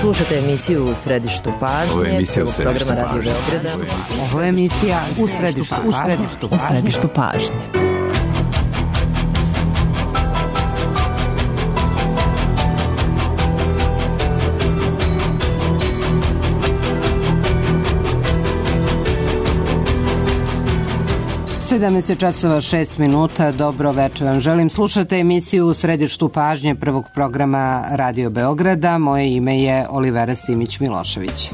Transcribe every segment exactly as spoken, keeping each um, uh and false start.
Slušate emisiju U središtu pažnje. Ovo je emisija U središtu programa Radio pažnje. Beograda. Ovo je emisija U središtu, u središtu, u središtu pažnje. sedamnaest časova šest minuta, dobro večer vam želim. Slušate emisiju U središtu pažnje prvog programa Radio Beograda. Moje ime je Olivera Simić-Milošević.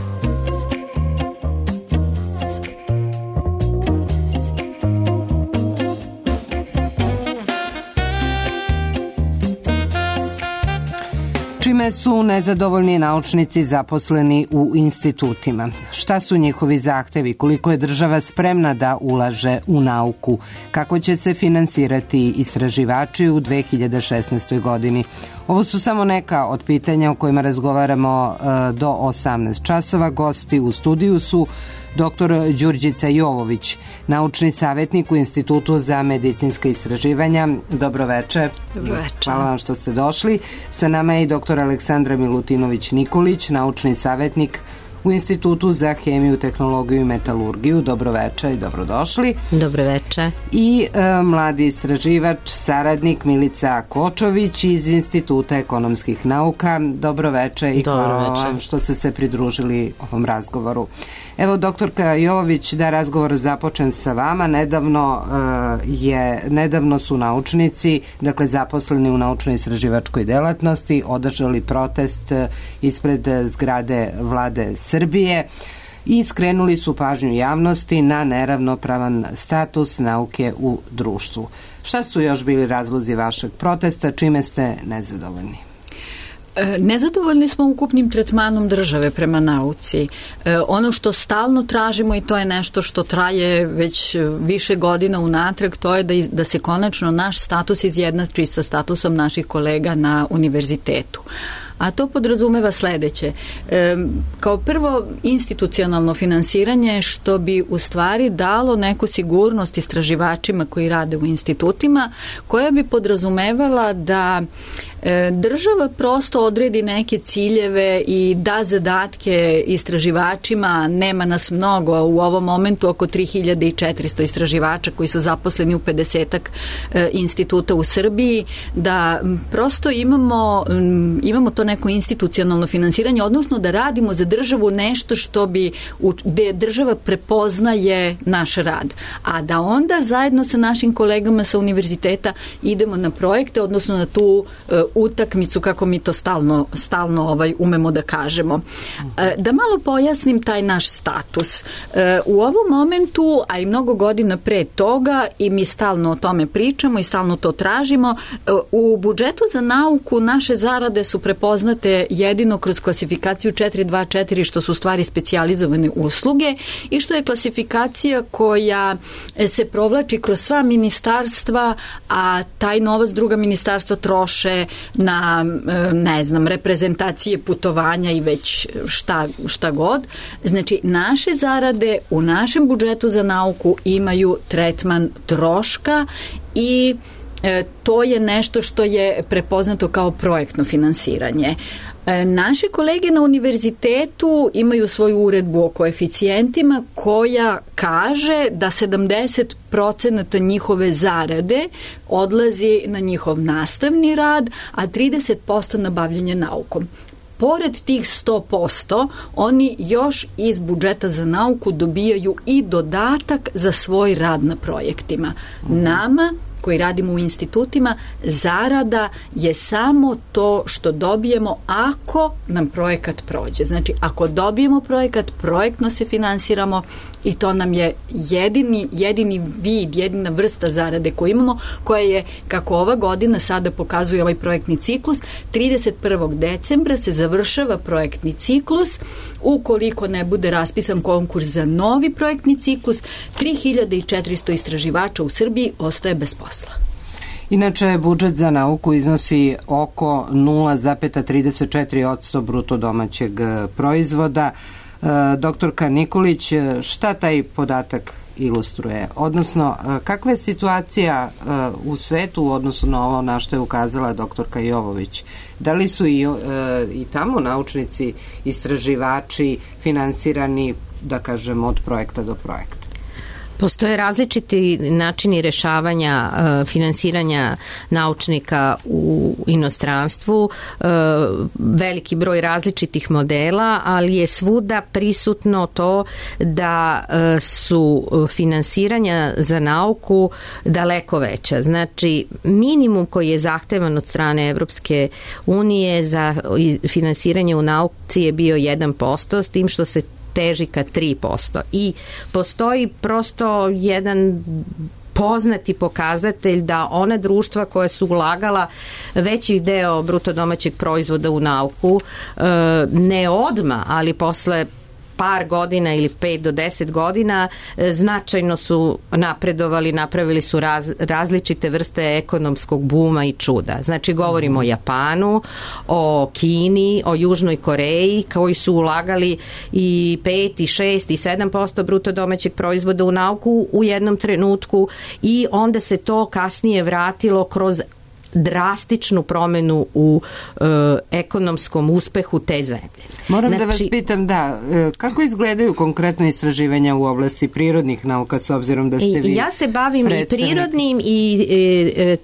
Čime su nezadovoljni naučnici zaposleni u institutima? Šta su njihovi zahtevi? Koliko je država spremna da ulaže u nauku? Kako će se finansirati istraživači u dve hiljade šesnaestoj. godini? Ovo su samo neka od pitanja o kojima razgovaramo do osamnaest časova. Gosti u studiju su doktor Đurđica Jovović, naučni savjetnik u Institutu za medicinska istraživanja. Dobro večer. Dobro večer. Hvala vam što ste došli. Sa nama je i doktor Aleksandra Milutinović-Nikolić, naučni savjetnik u Institutu za hemiju, tehnologiju i metalurgiju. Dobro večer i dobrodošli. Dobro večer. I e, mladi istraživač, saradnik Milica Kočović iz Instituta ekonomskih nauka. Dobro večer i Dobro hvala večer. vam što ste se pridružili ovom razgovoru. Evo, doktorka Jovović, da razgovor započnem sa vama. Nedavno, e, je, nedavno su naučnici, dakle zaposleni u naučno-istraživačkoj delatnosti, održali protest ispred zgrade Vlade Srbije i skrenuli su pažnju javnosti na neravnopravan status nauke u društvu. Šta su još bili razlozi vašeg protesta? Čime ste nezadovoljni? Nezadovoljni smo ukupnim tretmanom države prema nauci. E, ono što stalno tražimo, i to je nešto što traje već više godina unatrag, to je da, da se konačno naš status izjednači sa statusom naših kolega na univerzitetu. A to podrazumeva sledeće. E, kao prvo, institucionalno finansiranje, što bi u stvari dalo neku sigurnost istraživačima koji rade u institutima, koja bi podrazumevala da e, država prosto odredi neke ciljeve i da zadatke istraživačima. Nema nas mnogo, u ovom momentu oko tri hiljade četiristo istraživača koji su zaposleni u pedesetak e, instituta u Srbiji, da prosto imamo, imamo to neko institucionalno finansiranje, odnosno da radimo za državu nešto što bi, gde država prepoznaje naš rad. A da onda zajedno sa našim kolegama sa univerziteta idemo na projekte, odnosno na tu uh, utakmicu, kako mi to stalno, stalno ovaj, umemo da kažemo. Uh, da malo pojasnim taj naš status. Uh, u ovom momentu, a i mnogo godina pre toga, i mi stalno o tome pričamo i stalno to tražimo, uh, u budžetu za nauku naše zarade su prepoznate jedino kroz klasifikaciju četiri dva četiri, što su stvari specijalizovane usluge i što je klasifikacija koja se provlači kroz sva ministarstva, a taj novac druga ministarstva troše na, ne znam, reprezentacije, putovanja i već šta, šta god. Znači, naše zarade u našem budžetu za nauku imaju tretman troška i E, to je nešto što je prepoznato kao projektno finansiranje. E, naše kolege na univerzitetu imaju svoju uredbu o koeficijentima koja kaže da sedamdeset procenata njihove zarade odlazi na njihov nastavni rad, a trideset posto na bavljanje naukom. Pored tih sto posto, oni još iz budžeta za nauku dobijaju i dodatak za svoj rad na projektima. Nama, koji radimo u institutima, zarada je samo to što dobijemo ako nam projekat prođe. Znači, ako dobijemo projekat, projektno se finansiramo i to nam je jedini, jedini vid, jedina vrsta zarade koju imamo, koja je, kako ova godina sada pokazuje ovaj projektni ciklus, trideset prvog decembra se završava projektni ciklus. Ukoliko ne bude raspisan konkurs za novi projektni ciklus, tri hiljade četiristo istraživača u Srbiji ostaje bez posla. Inače, budžet za nauku iznosi oko nula zarez trideset četiri posto bruto domaćeg proizvoda. Doktorka Nikolić, šta taj podatak ilustruje. Odnosno, kakva je situacija u svetu u odnosu na ovo na što je ukazala doktorka Jovović? Da li su i, i tamo naučnici, istraživači finansirani, da kažem, od projekta do projekta? Postoje različiti načini rešavanja uh, finansiranja naučnika u inostranstvu, uh, veliki broj različitih modela, ali je svuda prisutno to da uh, su finansiranja za nauku daleko veća. Znači, minimum koji je zahtevan od strane Evropske unije za finansiranje u nauci je bio jedan posto, s tim što se teži ka tri posto. I postoji prosto jedan poznati pokazatelj da ona društva koja su ulagala veći deo bruto domaćeg proizvoda u nauku, ne odma, ali posle par godina ili pet do deset godina značajno su napredovali, napravili su raz, različite vrste ekonomskog buma i čuda. Znači, govorimo o Japanu, o Kini, o Južnoj Koreji, koji su ulagali i pet, i šest, i sedam posto bruto domaćeg proizvoda u nauku u jednom trenutku i onda se to kasnije vratilo kroz drastičnu promenu u e, ekonomskom uspehu te zemlje. Moram znači, da vas pitam, da, kako izgledaju konkretno istraživanja u oblasti prirodnih nauka s obzirom da ste vi... Ja se bavim predstavnik. i prirodnim i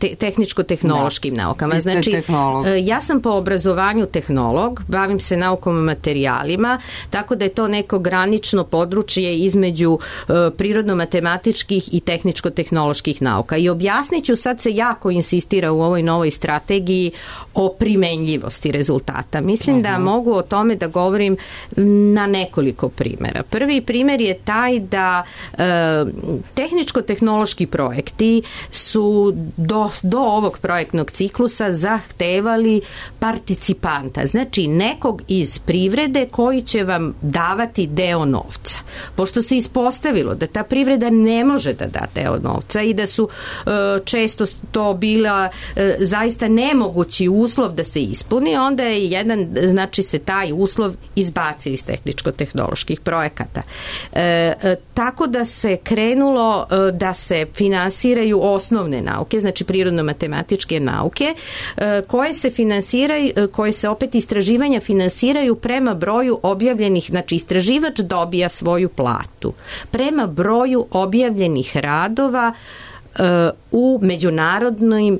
te, tehničko-tehnološkim da. naukama. Znači, tehnolog. ja sam po obrazovanju tehnolog, bavim se naukom materijalima, tako da je to neko granično područje između prirodno-matematičkih i tehničko-tehnoloških nauka. I objasnit ću, sad se jako insistira u ovoj novoj strategiji o primenljivosti rezultata. Mislim uh-huh. da mogu o tome da govorim na nekoliko primjera. Prvi primjer je taj da e, tehničko-tehnološki projekti su do, do ovog projektnog ciklusa zahtevali participanta, znači nekog iz privrede koji će vam davati deo novca. Pošto se ispostavilo da ta privreda ne može da da deo novca i da su e, često to bila e, zaista nemogući uslov da se ispuni, onda je jedan, znači se taj uslov izbacio iz tehničko-tehnoloških projekata. E, e, tako da se krenulo e, da se finansiraju osnovne nauke, znači prirodno-matematičke nauke, e, koje se finansiraju, koje se opet istraživanja finansiraju prema broju objavljenih, znači istraživač dobija svoju platu prema broju objavljenih radova e, u međunarodnim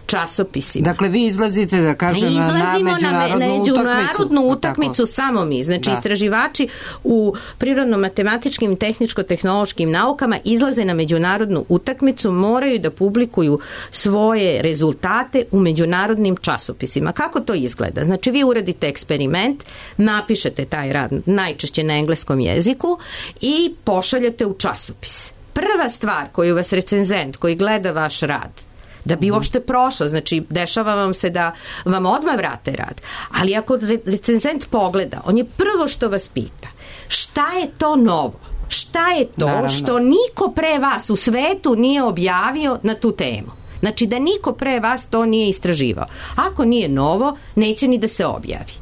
časopisima. Dakle, vi izlazite, da kažem, na međunarodnu, na međunarodnu utakmicu, utakmicu samo mi. Znači, da. Istraživači u prirodno-matematičkim i tehničko-tehnološkim naukama izlaze na međunarodnu utakmicu, moraju da publikuju svoje rezultate u međunarodnim časopisima. Kako to izgleda? Znači, vi uradite eksperiment, napišete taj rad najčešće na engleskom jeziku i pošaljete u časopis. Prva stvar koju vas recenzent koji gleda vaš rad da bi uopšte prošlo, znači dešava vam se da vam odmah vrate rad. Ali ako recenzent pogleda, on je prvo što vas pita, šta je to novo? Šta je to Naravno. što niko pre vas u svetu nije objavio na tu temu? Znači da niko pre vas to nije istraživao. Ako nije novo, neće ni da se objavi.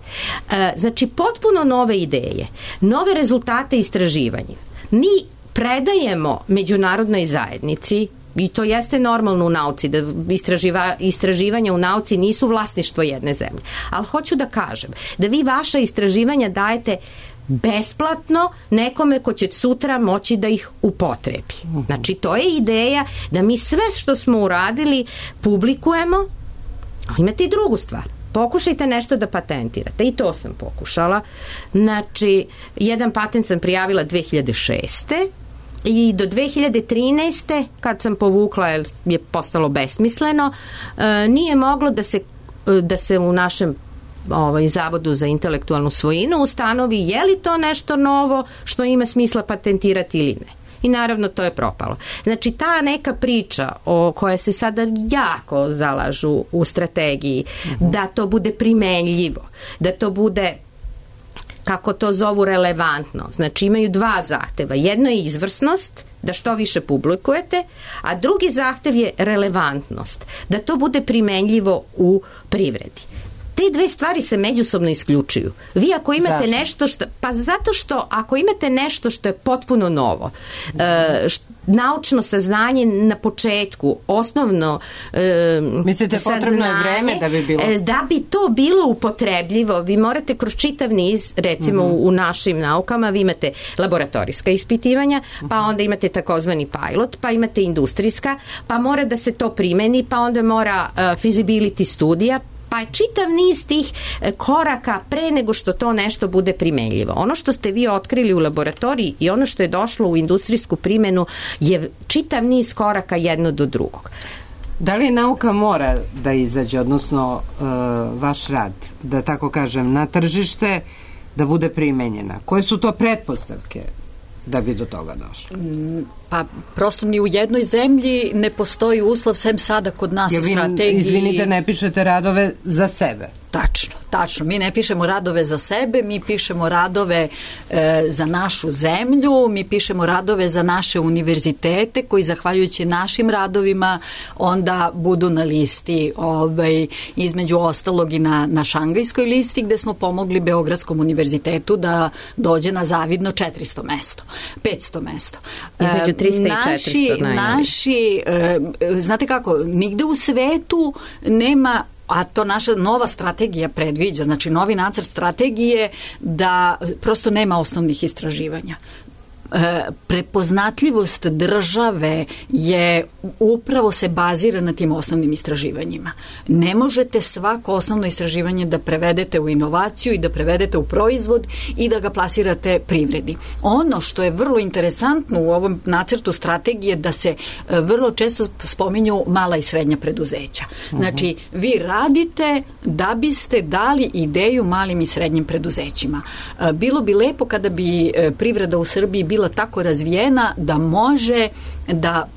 Znači potpuno nove ideje, nove rezultate istraživanja. Mi predajemo međunarodnoj zajednici, i to jeste normalno u nauci, da istraživa, istraživanja u nauci nisu vlasništvo jedne zemlje. Ali hoću da kažem da vi vaša istraživanja dajete besplatno nekome ko će sutra moći da ih upotrebi. Znači, to je ideja da mi sve što smo uradili publikujemo. Imate i drugu stvar. Pokušajte nešto da patentirate. I to sam pokušala. Znači, jedan patent sam prijavila dve hiljade šeste. I do dve hiljade trinaeste kad sam povukla jer je postalo besmisleno, nije moglo da se, da se u našem ovaj, Zavodu za intelektualnu svojinu ustanovi je li to nešto novo što ima smisla patentirati ili ne. I naravno to je propalo. Znači ta neka priča o koja se sada jako zalažu u strategiji, uh-huh. da to bude primenljivo, da to bude, kako to zovu, relevantno. Znači imaju dva zahteva. Jedno je izvrsnost, da što više publikujete, a drugi zahtev je relevantnost, da to bude primenljivo u privredi. te dve stvari se međusobno isključuju. Vi ako imate Zašto? nešto što, pa zato što ako imate nešto što je potpuno novo, e, št, naučno saznanje na početku, osnovno e, mislite saznanje, potrebno je vreme da bi bilo? E, da bi to bilo upotrebljivo, vi morate kroz čitav niz, recimo mm-hmm. u, u našim naukama, vi imate laboratorijska ispitivanja, mm-hmm. pa onda imate takozvani pilot, pa imate industrijska, pa mora da se to primeni, pa onda mora uh, feasibility studija, pa je čitav niz tih koraka pre nego što to nešto bude primenljivo. Ono što ste vi otkrili u laboratoriji i ono što je došlo u industrijsku primenu je čitav niz koraka jedno do drugog. Da li nauka mora da izađe, odnosno uh, vaš rad, da tako kažem, na tržište, da bude primenjena? Koje su to pretpostavke da bi do toga došlo? Pa prosto ni u jednoj zemlji ne postoji uslov, sem sada kod nas u strategiji. Izvinite, ne pišete radove za sebe. Tačno, tačno. Mi ne pišemo radove za sebe, mi pišemo radove e, za našu zemlju, mi pišemo radove za naše univerzitete koji zahvaljujući našim radovima onda budu na listi, ovaj, između ostalog i na, na šangajskoj listi gde smo pomogli Beogradskom univerzitetu da dođe na zavidno četiristo mesto, petsto mesto. Između trista i četiristo najbolji. Naši, e, znate kako, nigde u svetu nema, a to naša nova strategija predviđa, znači novi nacrt strategije, da prosto nema osnovnih istraživanja. E, prepoznatljivost države je upravo se bazira na tim osnovnim istraživanjima. Ne možete svako osnovno istraživanje da prevedete u inovaciju i da prevedete u proizvod i da ga plasirate privredi. Ono što je vrlo interesantno u ovom nacrtu strategije da se e, vrlo često spominju mala i srednja preduzeća. Znači, vi radite da biste dali ideju malim i srednjim preduzećima. E, bilo bi lepo kada bi e, privreda u Srbiji bila tako razvijena da može da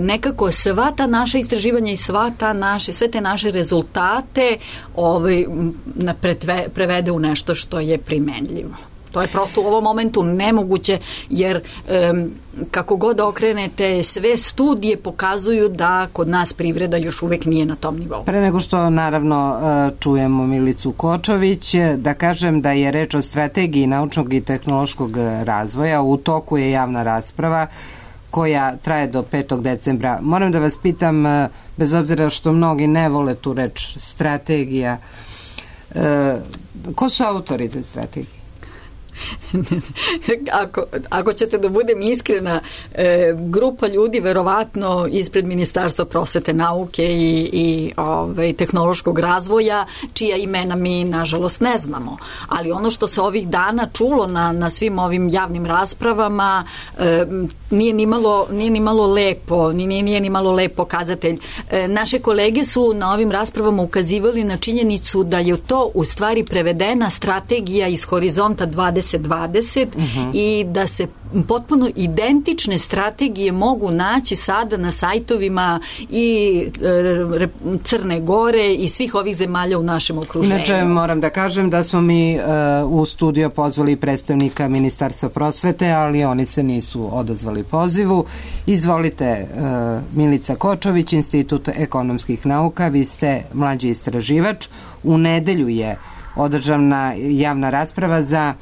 nekako sva ta naša istraživanja i sva ta naše, sve te naše rezultate ovaj, pretve, prevede u nešto što je primenljivo. To je prosto u ovom momentu nemoguće, jer um, kako god okrenete, sve studije pokazuju da kod nas privreda još uvek nije na tom nivou. Pre nego što naravno čujemo Milicu Kočović, da kažem da je reč o strategiji naučnog i tehnološkog razvoja, u toku je javna rasprava koja traje do petog decembra. Moram da vas pitam, bez obzira što mnogi ne vole tu reč strategija, ko su autori te strategije? ako, ako ćete da budem iskrena, e, grupa ljudi verovatno ispred Ministarstva prosvete, nauke i, i ove, tehnološkog razvoja, čija imena mi nažalost ne znamo. Ali ono što se ovih dana čulo na, na svim ovim javnim raspravama e, nije ni malo, nije ni malo lepo, nije, nije ni malo lep pokazatelj. E, naše kolege su na ovim raspravama ukazivali na činjenicu da je to u stvari prevedena strategija iz Horizonta dvadeset dvadeset uh-huh. i da se potpuno identične strategije mogu naći sada na sajtovima i e, Crne Gore i svih ovih zemalja u našem okruženju. Inače, moram da kažem da smo mi e, u studio pozvali predstavnika Ministarstva prosvete, ali oni se nisu odazvali pozivu. Izvolite, e, Milica Kočović, Institut ekonomskih nauka, vi ste mlađi istraživač. U nedelju je održana javna rasprava za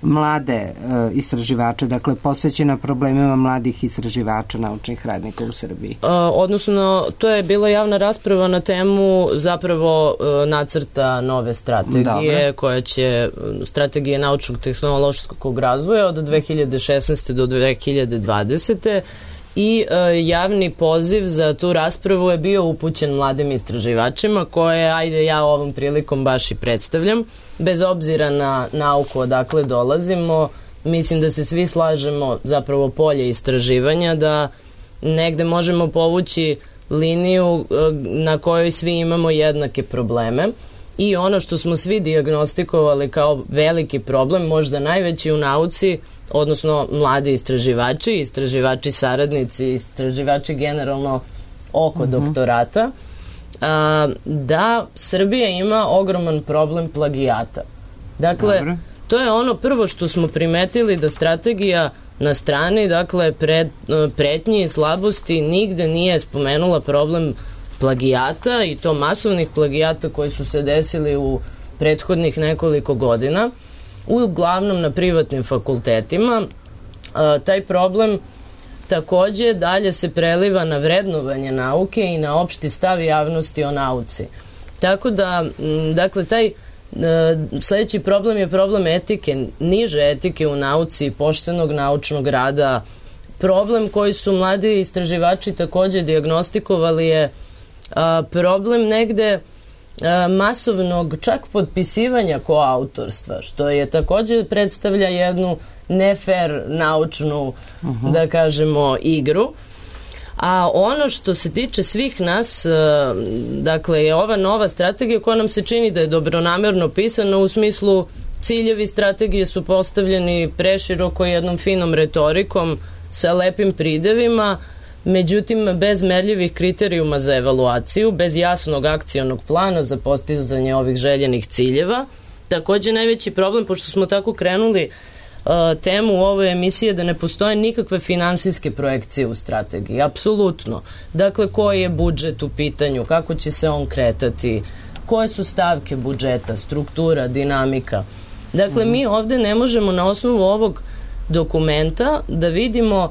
mlade e, istraživače, dakle posvećena problemima mladih istraživača, naučnih radnika u Srbiji. E, odnosno, to je bila javna rasprava na temu zapravo e, nacrta nove strategije, Dobre. koja će strategije naučnog tehnološkog razvoja od dve hiljade šesnaeste do dve hiljade dvadesete i e, javni poziv za tu raspravu je bio upućen mladim istraživačima koje, ajde, ja ovom prilikom baš i predstavljam. Bez obzira na nauku odakle dolazimo, mislim da se svi slažemo zapravo polje istraživanja, da negde možemo povući liniju na kojoj svi imamo jednake probleme i ono što smo svi dijagnostikovali kao veliki problem, možda najveći u nauci, odnosno mladi istraživači, istraživači saradnici, istraživači generalno oko uh-huh. doktorata, a, da Srbija ima ogroman problem plagijata. Dakle, Dobre. to je ono prvo što smo primetili, da strategija na strani, dakle, pred, pretnji i slabosti nigde nije spomenula problem plagijata, i to masovnih plagijata koji su se desili u prethodnih nekoliko godina, uglavnom na privatnim fakultetima. A, taj problem takođe dalje se preliva na vrednovanje nauke i na opšti stav javnosti o nauci. Tako da, dakle, taj sledeći problem je problem etike, niže etike u nauci, poštenog naučnog rada. Problem koji su mladi istraživači takođe dijagnostikovali je a, problem negde a, masovnog čak potpisivanja koautorstva, što je takođe predstavlja jednu nefer naučnu, uh-huh. da kažemo, igru. A ono što se tiče svih nas, dakle, je ova nova strategija koja nam se čini da je dobronamerno pisana, u smislu ciljevi strategije su postavljeni preširoko jednom finom retorikom sa lepim pridevima, međutim bez merljivih kriterijuma za evaluaciju, bez jasnog akcionog plana za postizanje ovih željenih ciljeva. Takođe najveći problem, pošto smo tako krenuli temu u ovoj emisiji, da ne postoje nikakve finansijske projekcije u strategiji, apsolutno. Dakle, koji je budžet u pitanju, kako će se on kretati, koje su stavke budžeta, struktura, dinamika. Dakle, mi ovde ne možemo na osnovu ovog dokumenta da vidimo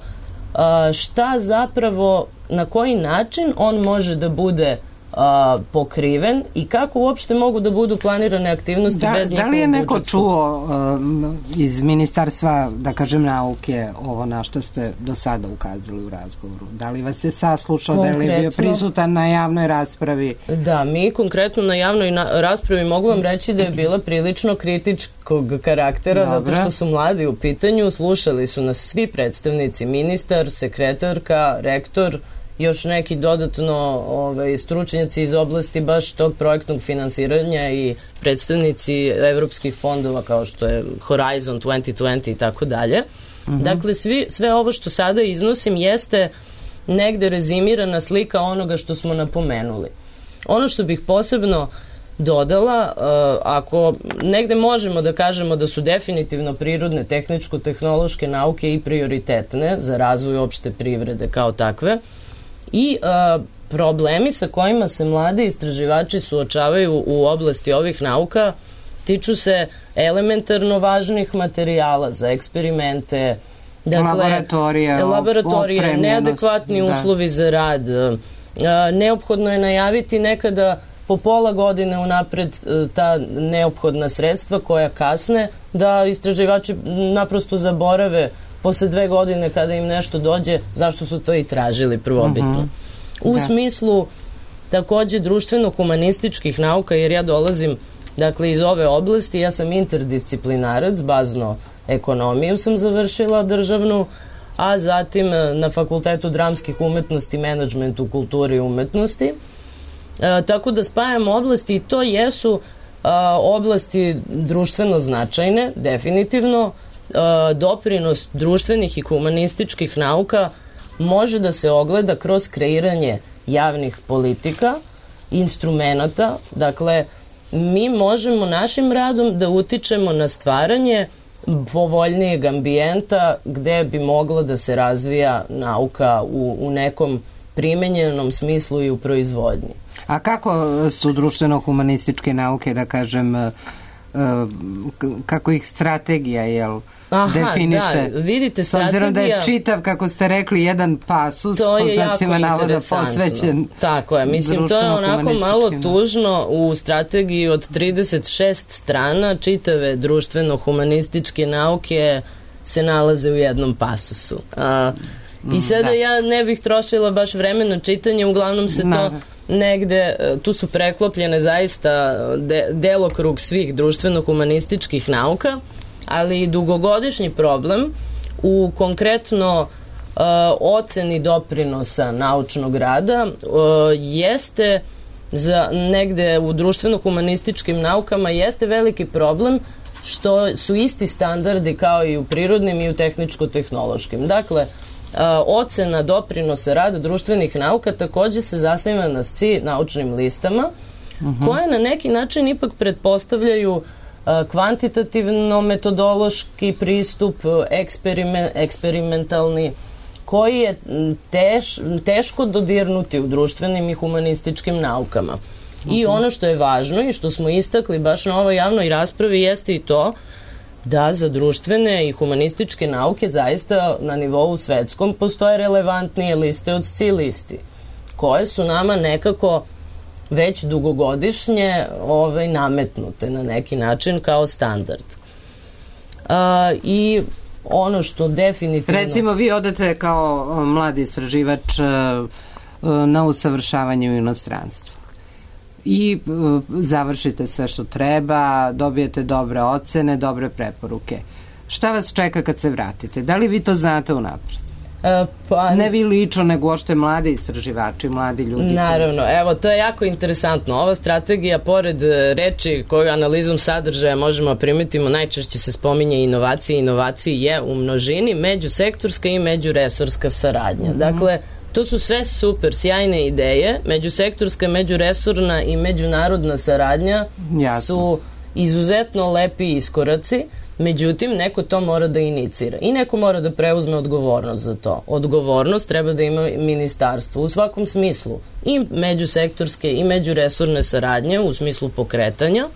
šta zapravo, na koji način on može da bude A, pokriven i kako uopšte mogu da budu planirane aktivnosti da, bez njihovog budžetskog. Da li je neko budžetskog? čuo um, iz Ministarstva, da kažem, nauke, ovo na što ste do sada ukazali u razgovoru? Da li vas je saslušao, konkretno, da li je bio prisutan na javnoj raspravi? Da, mi konkretno na javnoj na, raspravi mogu vam reći da je bila prilično kritičkog karaktera. Dobre. Zato što su mladi u pitanju, slušali su nas svi predstavnici, ministar, sekretarka, rektor, još neki dodatno ovaj, stručnjaci iz oblasti baš tog projektnog finansiranja i predstavnici evropskih fondova kao što je Horizon dvadeset dvadeset i tako dalje. Dakle, svi, sve ovo što sada iznosim jeste negde rezimirana slika onoga što smo napomenuli. Ono što bih posebno dodala, uh, ako negde možemo da kažemo da su definitivno prirodne, tehničko-tehnološke nauke i prioritetne za razvoj opšte privrede kao takve, i uh, problemi sa kojima se mladi istraživači suočavaju u oblasti ovih nauka tiču se elementarno važnih materijala za eksperimente, dakle, laboratorije, laboratorije neadekvatni da. uslovi za rad. Uh, neophodno je najaviti nekada po pola godine unapred uh, ta neophodna sredstva koja kasne, da istraživači naprosto zaborave posle dve godine kada im nešto dođe, zašto su to i tražili prvobitno. Uh-huh. U da. smislu takođe društveno-humanističkih nauka, jer ja dolazim, dakle, iz ove oblasti, ja sam interdisciplinarac, bazno ekonomiju sam završila državnu, a zatim na Fakultetu dramskih umetnosti, menadžmentu, kulturi i umetnosti. E, tako da spajam oblasti i to jesu a, oblasti društveno značajne, definitivno. Doprinos društvenih i humanističkih nauka može da se ogleda kroz kreiranje javnih politika, instrumenata. Dakle, mi možemo našim radom da utičemo na stvaranje povoljnijeg ambijenta gde bi mogla da se razvija nauka u, u nekom primenjenom smislu i u proizvodnji. A kako su društveno-humanističke nauke, da kažem, kako ih strategija, jel, Aha, definiše? Da, vidite, s obzirom da je čitav, kako ste rekli, jedan pasus, to je jako interesantno. Posvećen. Tako je, mislim, to je onako malo tužno. U strategiji od trideset šest strana čitave društveno-humanističke nauke se nalaze u jednom pasusu. A, I sada da. ja ne bih trošila baš vremena čitanja, uglavnom se to negde, tu su preklopljene zaista de, delokrug svih društveno-humanističkih nauka, ali dugogodišnji problem u konkretno uh, oceni doprinosa naučnog rada uh, jeste za negde u društveno-humanističkim naukama jeste veliki problem što su isti standardi kao i u prirodnim i u tehničko-tehnološkim. Dakle, Uh, ocena doprinosa rada društvenih nauka takođe se zasniva na S C I naučnim listama, uh-huh. koje na neki način ipak pretpostavljaju uh, kvantitativno metodološki pristup, eksperiment, eksperimentalni, koji je teš, teško dodirnuti u društvenim i humanističkim naukama. Uh-huh. I ono što je važno i što smo istakli baš na ovoj javnoj raspravi jeste i to da za društvene i humanističke nauke zaista na nivou svetskom postoje relevantnije liste od S C I listi, koje su nama nekako već dugogodišnje ovaj, nametnute na neki način kao standard. A, I ono što definitivno... Recimo, vi odete kao mladi istraživač na usavršavanje u inostranstvu i završite sve što treba, dobijete dobre ocene, dobre preporuke. Šta vas čeka kad se vratite? Da li vi to znate unapred? E, pa, ne vi lično, nego ošte mladi istraživači, mladi ljudi. Naravno, evo, to je jako interesantno. Ova strategija, pored reči koju analizom sadržaja možemo primetimo, najčešće se spominje inovacije. Inovacije je u množini međusektorska i međuresorska saradnja. Mm-hmm. Dakle, to su sve super, sjajne ideje. Međusektorska, međuresorna i međunarodna saradnja Jasno. su izuzetno lepi iskoraci. Međutim, neko to mora da inicira i neko mora da preuzme odgovornost za to. Odgovornost treba da ima ministarstvo u svakom smislu. I međusektorske i međuresorne saradnje u smislu pokretanja.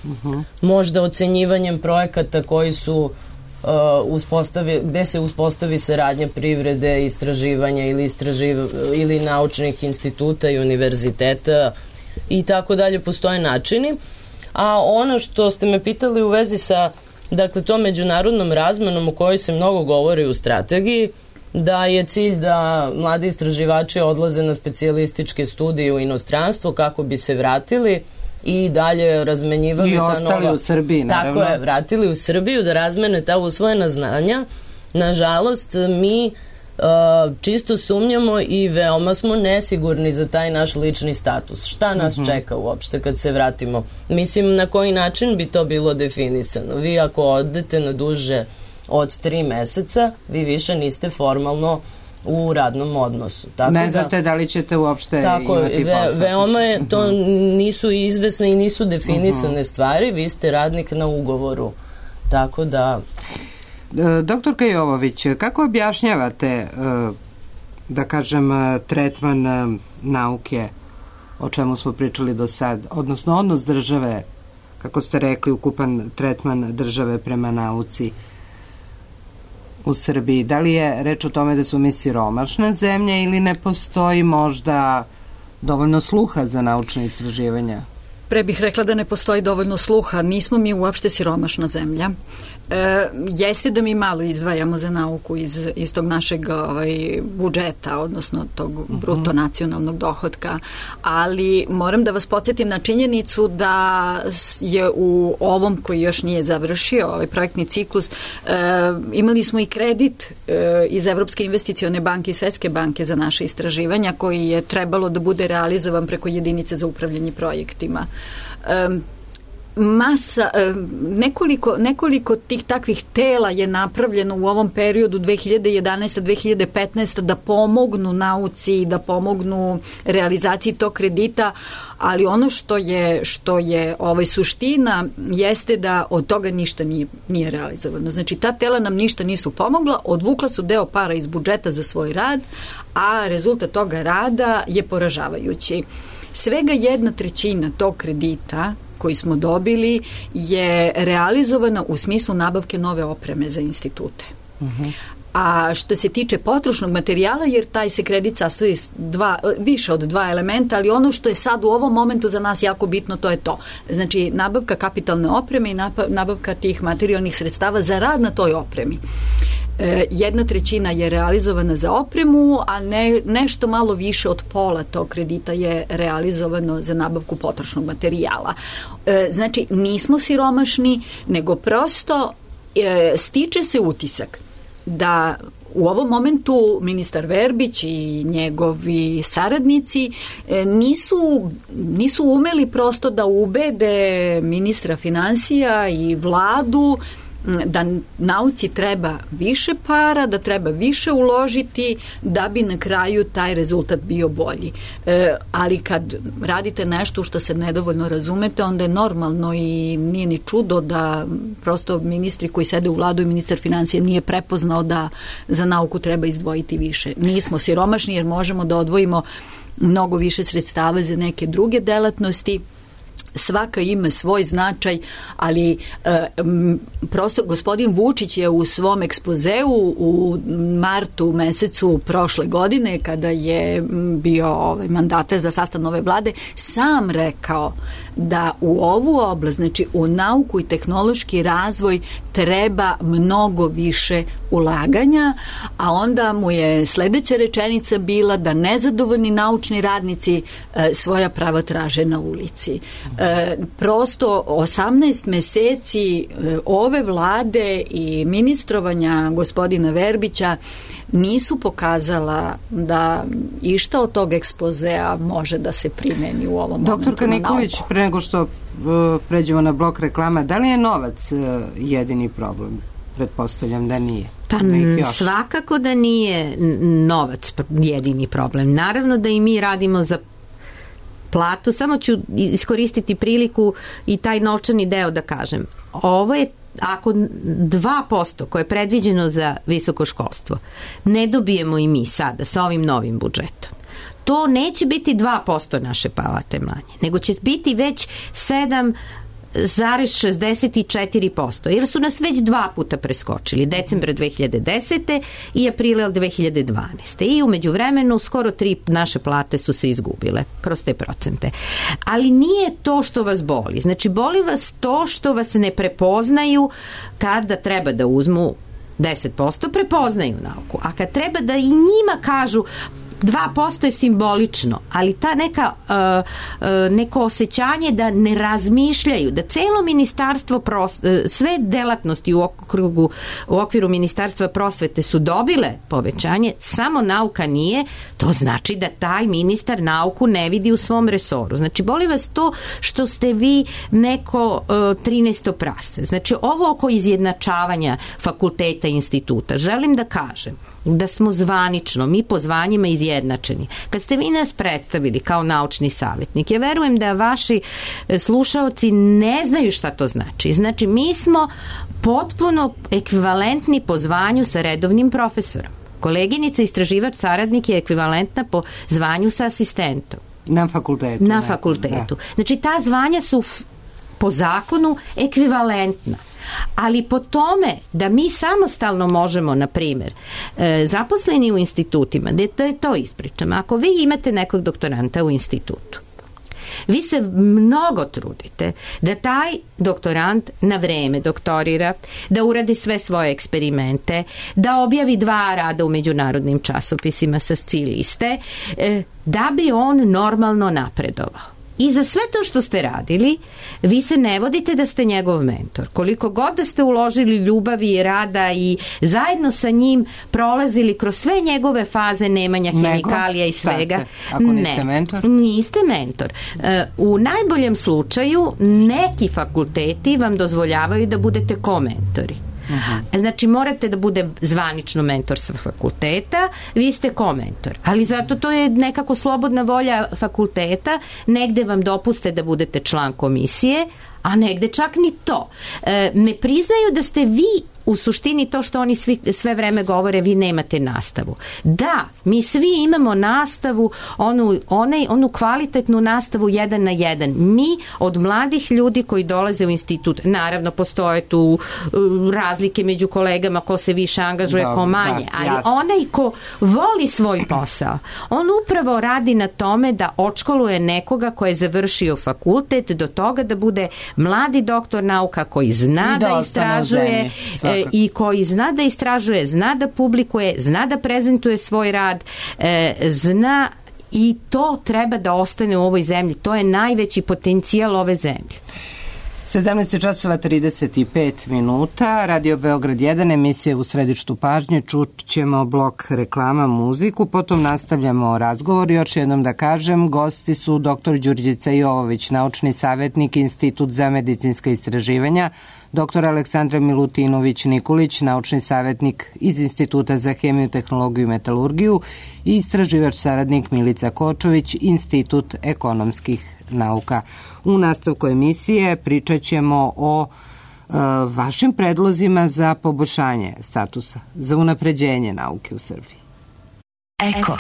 Uh-huh. Možda ocenjivanjem projekata koji su uh, uspostavi, gde se uspostavi saradnja privrede, istraživanja ili, istraživ, ili naučnih instituta i univerziteta i tako dalje, postoje načini. A ono što ste me pitali u vezi sa dakle, to međunarodnom razmenom o kojoj se mnogo govori u strategiji, da je cilj da mladi istraživači odlaze na specijalističke studije u inostranstvo kako bi se vratili i dalje razmenjivali I ta ostali nova... u Srbiji, naravno. Tako je, vratili u Srbiju da razmene ta usvojena znanja. Nažalost, mi uh, čisto sumnjamo i veoma smo nesigurni za taj naš lični status. Šta nas uh-huh. čeka uopšte kad se vratimo? Mislim, na koji način bi to bilo definisano? Vi ako odete na duže od tri meseca, vi više niste formalno u radnom odnosu. Tako ne znate da, da li ćete uopšte tako, imati ve, posao. Veoma je, to nisu izvesne i nisu definisane uh-huh. stvari, vi ste radnik na ugovoru. Tako da... Doktorka Jovović, kako objašnjavate, da kažem, tretman nauke, o čemu smo pričali do sad, odnosno odnos države, kako ste rekli, ukupan tretman države prema nauci u Srbiji? Da li je reč o tome da su mi siromašna zemlja ili ne postoji možda dovoljno sluha za naučne istraživanja? Pre bih rekla da ne postoji dovoljno sluha. Nismo mi uopšte siromašna zemlja. E, jeste da mi malo izdvajamo za nauku iz, iz tog našeg ovaj, budžeta, odnosno tog uh-huh. bruto nacionalnog dohotka, ali moram da vas podsjetim na činjenicu da je u ovom koji još nije završio, ovaj projektni ciklus, e, imali smo i kredit e, iz Evropske investicione banke i Svetske banke za naše istraživanja koji je trebalo da bude realizovan preko jedinice za upravljanje projektima. Um, masa, nekoliko, nekoliko tih takvih tela je napravljeno u ovom periodu dve hiljade jedanaeste do dve hiljade petnaeste da pomognu nauci, da pomognu realizaciji tog kredita, ali ono što je, što je ovaj, suština jeste da od toga ništa nije, nije realizovano. Znači, ta tela nam ništa nisu pomogla, odvukla su deo para iz budžeta za svoj rad, a rezultat toga rada je poražavajući. Svega jedna trećina tog kredita koji smo dobili je realizovana u smislu nabavke nove opreme za institute. Uh-huh. A što se tiče potrošnog materijala, jer taj se kredit sastoji dva, više od dva elementa, ali ono što je sad u ovom momentu za nas jako bitno, to je to. Znači, nabavka kapitalne opreme i nabavka tih materijalnih sredstava za rad na toj opremi. E, jedna trećina je realizovana za opremu, a ne, nešto malo više od pola tog kredita je realizovano za nabavku potrošnog materijala. E, znači, nismo siromašni, nego prosto e, stiče se utisak da u ovom momentu ministar Verbić i njegovi saradnici nisu, nisu umeli prosto da ubede ministra finansija i vladu da nauci treba više para, da treba više uložiti da bi na kraju taj rezultat bio bolji. E, ali kad radite nešto što se nedovoljno razumete, onda je normalno i nije ni čudo da prosto ministri koji sede u vladu i ministar financija nije prepoznao da za nauku treba izdvojiti više. Nismo siromašni jer možemo da odvojimo mnogo više sredstava za neke druge delatnosti. Svaka ima svoj značaj, ali e, m, prosto gospodin Vučić je u svom ekspozeu u martu mesecu prošle godine, kada je bio ovaj, mandate za sastav nove vlade, sam rekao da u ovu oblast, znači u nauku i tehnološki razvoj treba mnogo više ulaganja, a onda mu je sledeća rečenica bila da nezadovoljni naučni radnici e, svoja prava traže na ulici. E, prosto osamnaest meseci e, ove vlade i ministrovanja gospodina Verbića nisu pokazala da išta od tog ekspozea može da se primeni u ovom momentu. Doktorka Nikolić, pre nego što uh, pređemo na blok reklama, da li je novac uh, jedini problem? Pretpostavljam da nije. Pa svakako da nije novac jedini problem. Naravno da i mi radimo za platu, samo ću iskoristiti priliku i taj novčani deo da kažem. Ovo je ako dva posto koje je predviđeno za visoko školstvo ne dobijemo i mi sada sa ovim novim budžetom, to neće biti dva posto naše plate manje, nego će biti već sedam zarez šezdeset četiri posto, jer su nas već dva puta preskočili, decembra dve hiljade desete i aprila dve hiljade dvanaeste. I umeđu vremenu skoro tri naše plate su se izgubile kroz te procente. Ali nije to što vas boli. Znači, boli vas to što vas ne prepoznaju kada treba da uzmu deset posto, prepoznaju nauku. A kad treba da i njima kažu dva posto je simbolično, ali ta neka uh, uh, neko osjećanje da ne razmišljaju, da celo ministarstvo pros, uh, sve delatnosti u okrugu u okviru ministarstva prosvete su dobile povećanje, samo nauka nije, to znači da taj ministar nauku ne vidi u svom resoru. Znači, boli vas to što ste vi neko uh, trinaesto prase. Znači, ovo oko izjednačavanja fakulteta i instituta, želim da kažem da smo zvanično, mi po zvanjima izjednačeni. Kad ste vi nas predstavili kao naučni savjetnik, ja verujem da vaši slušaoci ne znaju šta to znači. Znači, mi smo potpuno ekvivalentni po zvanju sa redovnim profesorom. Koleginica istraživač saradnik je ekvivalentna po zvanju sa asistentom. Na fakultetu. Na fakultetu. Da. Znači, ta zvanja su po zakonu ekvivalentna. Ali po tome da mi samostalno možemo, na primjer, zaposleni u institutima, da je to ispričam, ako vi imate nekog doktoranta u institutu, vi se mnogo trudite da taj doktorant na vreme doktorira, da uradi sve svoje eksperimente, da objavi dva rada u međunarodnim časopisima sa S C I liste, da bi on normalno napredovao. I za sve to što ste radili, vi se ne vodite da ste njegov mentor. Koliko god da ste uložili ljubavi i rada i zajedno sa njim prolazili kroz sve njegove faze nemanja hemikalija i svega. Ako niste ne, mentor? Niste mentor. U najboljem slučaju neki fakulteti vam dozvoljavaju da budete komentori. Uh-huh. Znači, morate da bude zvanično mentor sa fakulteta, vi ste komentor, ali zato to je nekako slobodna volja fakulteta, negde vam dopuste da budete član komisije, a negde čak ni to. E, ne priznaju da ste vi u suštini to što oni svi, sve vreme govore, vi nemate nastavu. Da, mi svi imamo nastavu, onu, onaj, onu kvalitetnu nastavu jedan na jedan. Mi od mladih ljudi koji dolaze u institut, naravno postoje tu uh, razlike među kolegama ko se više angažuje, da, ko manje, da, ali jasno. Onaj ko voli svoj posao, on upravo radi na tome da odškoluje nekoga ko je završio fakultet do toga da bude mladi doktor nauka koji zna da, da istražuje i koji zna da istražuje, zna da publikuje, zna da prezentuje svoj rad, e, zna i to treba da ostane u ovoj zemlji. To je najveći potencijal ove zemlje. sedamnaest časova trideset pet minuta, Radio Beograd jedan, emisija U središtu pažnje, čut ćemo blok reklama, muziku, potom nastavljamo razgovor. Još jednom da kažem, gosti su doktor Đurđica Jovović, naučni savjetnik Institut za medicinska istraživanja, doktor Aleksandra Milutinović-Nikolić, naučni savjetnik iz Instituta za hemiju, tehnologiju i metalurgiju i istraživač saradnik Milica Kočović, Institut ekonomskih nauka. U nastavku emisije pričat ćemo o e, vašim predlozima za poboljšanje statusa, za unapređenje nauke u Srbiji. Eko.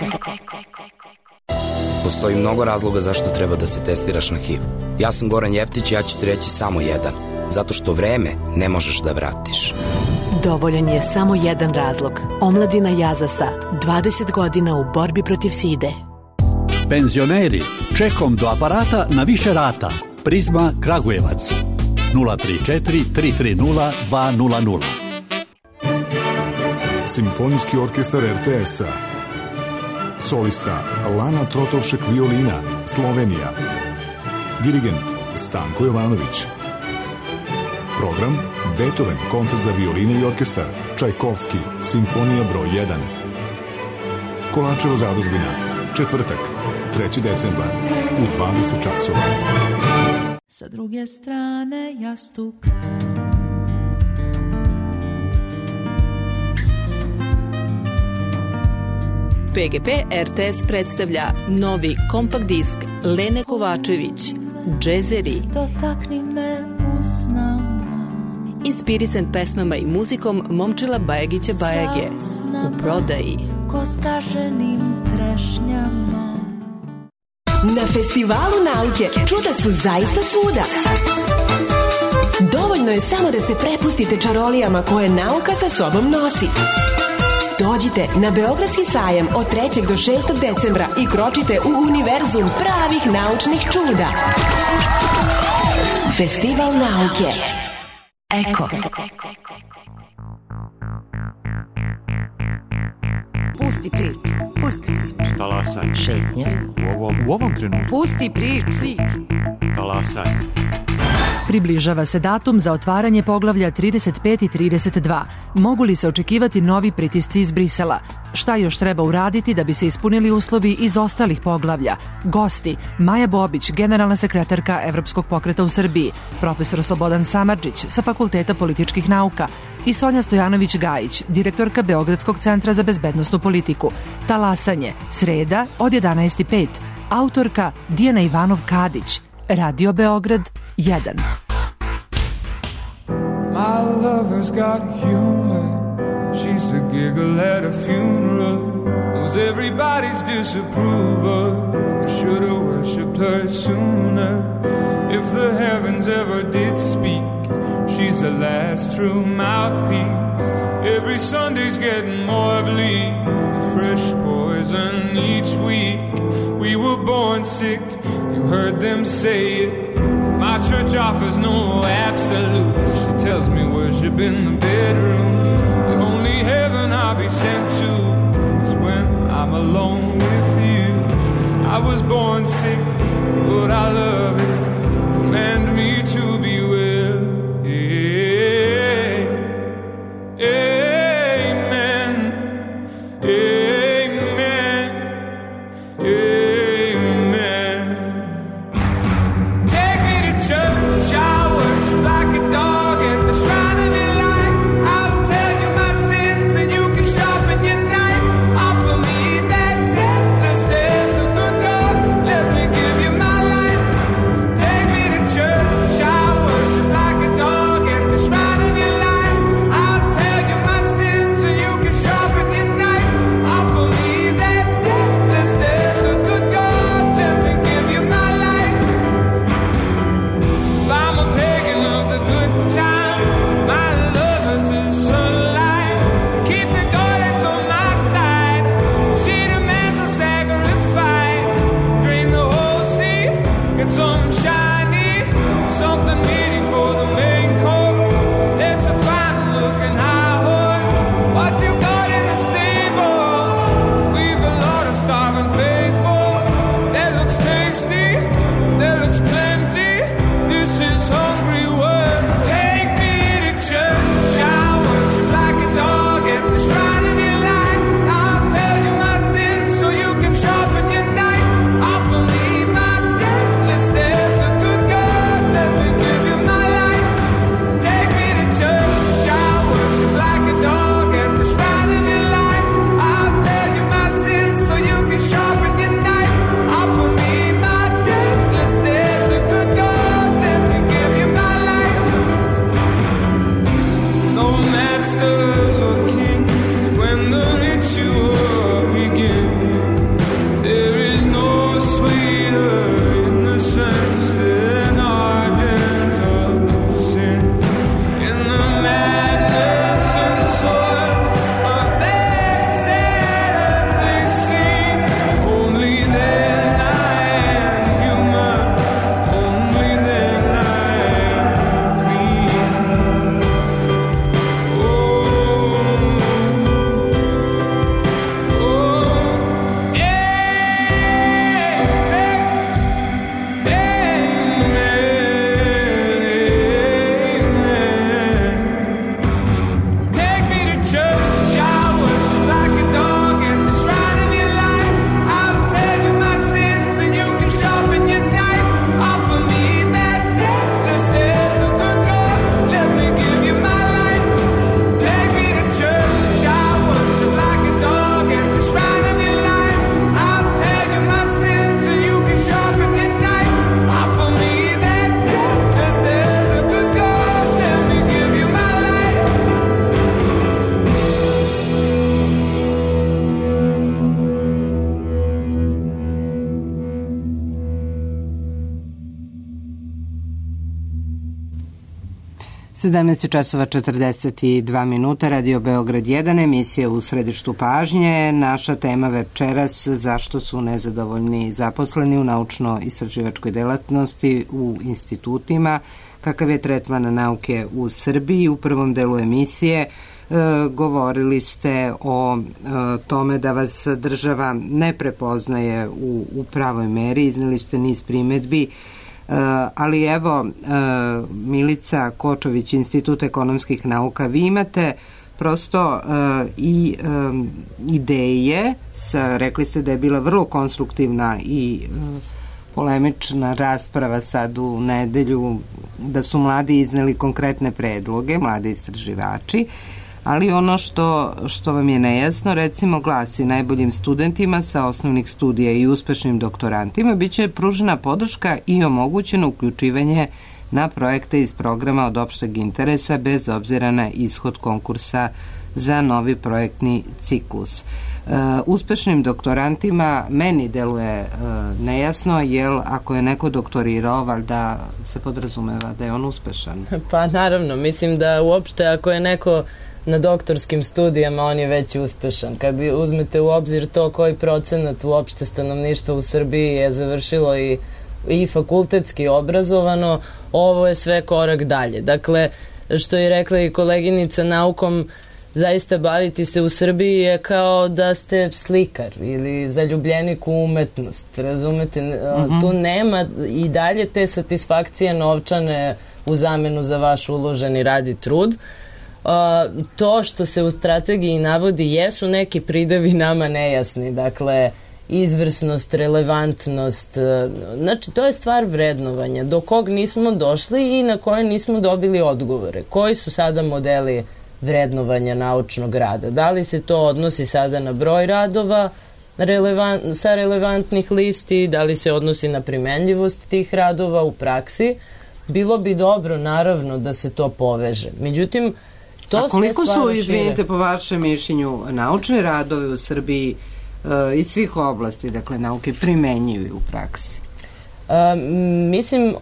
Postoji mnogo razloga zašto treba da se testiraš na H I V. Ja sam Goran Jeftić i ja ću ti reći samo jedan. Zato što vreme ne možeš da vratiš. Dovoljan je samo jedan razlog. Omladina Jazasa, dvadeset godina u borbi protiv side. Penzioneri, čekom do aparata na više rata. Prizma Kragujevac. nula tri četiri tri tri nula dva nula nula. Simfonijski orkestar er te es-a. Solista Lana Trotovšek violina, Slovenija. Dirigent Stanko Jovanović. Program Beethoven, koncert za violinu i orkestar, Čajkovski, simfonija broj jedan. Kolačeva zadužbina, četvrtak, treći decembar, u dvadeset časova. Sa druge strane jastuka. P G P er te es predstavlja novi kompakt disk Lene Kovačević, Džezeri. Dotakni me usnama. Inspirisan pesmama i muzikom Momčila Bajagića Bajage. U prodaji. Ko skaženim trešnjama. Na Festivalu nauke čuda su zaista svuda. Dovoljno je samo da se prepustite čarolijama koje nauka sa sobom nosi. Dođite na Beogradski sajam od trećeg do šestog decembra i kročite u univerzum pravih naučnih čuda. Festival nauke. Eko. Pusti priču. Pusti priču. Talasanje. Šetnje. U ovom, u ovom trenutku. Pusti priču. Talasanje. Približava se datum za otvaranje poglavlja trideset pet i trideset dva. Mogu li se očekivati novi pritisci iz Brisela? Šta još treba uraditi da bi se ispunili uslovi iz ostalih poglavlja? Gosti: Maja Bobić, generalna sekretarka Evropskog pokreta u Srbiji, profesor Slobodan Samardžić sa Fakulteta političkih nauka i Sonja Stojanović-Gajić, direktorka Beogradskog centra za bezbednosnu politiku. Talasanje, sreda od jedanaest i pet. Autorka Dijana Ivanov-Kadić. Radio Beograd jedan. My lover's got humor. She's the giggle at a funeral. Knows everybody's disapproval. I should have worshipped her sooner. If the heavens ever did speak, she's the last true mouthpiece. Every Sunday's getting more bleak. Fresh poison each week. We were born sick, you heard them say it. My church offers no absolutes. She tells me worship in the bedroom. The only heaven I'll be sent to is when I'm alone with you. I was born sick, but I love it. Command me to be well. Amen. Amen. Amen. Take me to church, I worship like a dog at the shrine of your life. I'll tell you my sins and you can sharpen your knife. Offer me that deathless death, the good God, let me give you my life. sedamnaest časova četrdeset dva minuta, Radio Beograd jedan, emisija U središtu pažnje. Naša tema večeras, zašto su nezadovoljni zaposleni u naučno-istraživačkoj delatnosti u institutima, kakav je tretman nauke u Srbiji. U prvom delu emisije e, govorili ste o e, tome da vas država ne prepoznaje u, u pravoj meri, izneli ste niz primedbi. Uh, ali evo, uh, Milica Kočović, Institut ekonomskih nauka, vi imate prosto uh, i um, ideje, sa, rekli ste da je bila vrlo konstruktivna i uh, polemična rasprava sad u nedelju, da su mladi izneli konkretne predloge, mladi istraživači, ali ono što, što vam je nejasno, recimo, glasi: najboljim studentima sa osnovnih studija i uspešnim doktorantima biće pružena podrška i omogućeno uključivanje na projekte iz programa od opšteg interesa bez obzira na ishod konkursa za novi projektni ciklus. Uh, uspešnim doktorantima meni deluje uh, nejasno, jer ako je neko doktorirao, valjda se podrazumeva da je on uspešan. Pa naravno, mislim da uopšte ako je neko na doktorskim studijama, on je već uspešan. Kad uzmete u obzir to koji procenat uopšte stanovništva u Srbiji je završilo i, i fakultetski obrazovano, ovo je sve korak dalje. Dakle, što je rekla i koleginica, naukom zaista baviti se u Srbiji je kao da ste slikar ili zaljubljenik u umetnost, razumete? Mm-hmm. Tu nema i dalje te satisfakcije novčane u zamenu za vaš uloženi rad i trud. Uh, to što se u strategiji navodi jesu neki pridevi nama nejasni, dakle izvrsnost, relevantnost, uh, znači to je stvar vrednovanja do kog nismo došli i na koje nismo dobili odgovore. Koji su sada modeli vrednovanja naučnog rada? Da li se to odnosi sada na broj radova relevant, sa relevantnih listi, da li se odnosi na primenljivost tih radova u praksi? Bilo bi dobro, naravno, da se to poveže. Međutim, to a koliko su, izvinite, po vašem mišljenju, naučni radovi u Srbiji uh, iz svih oblasti, dakle, nauke, primenjuju u praksi? Uh, mislim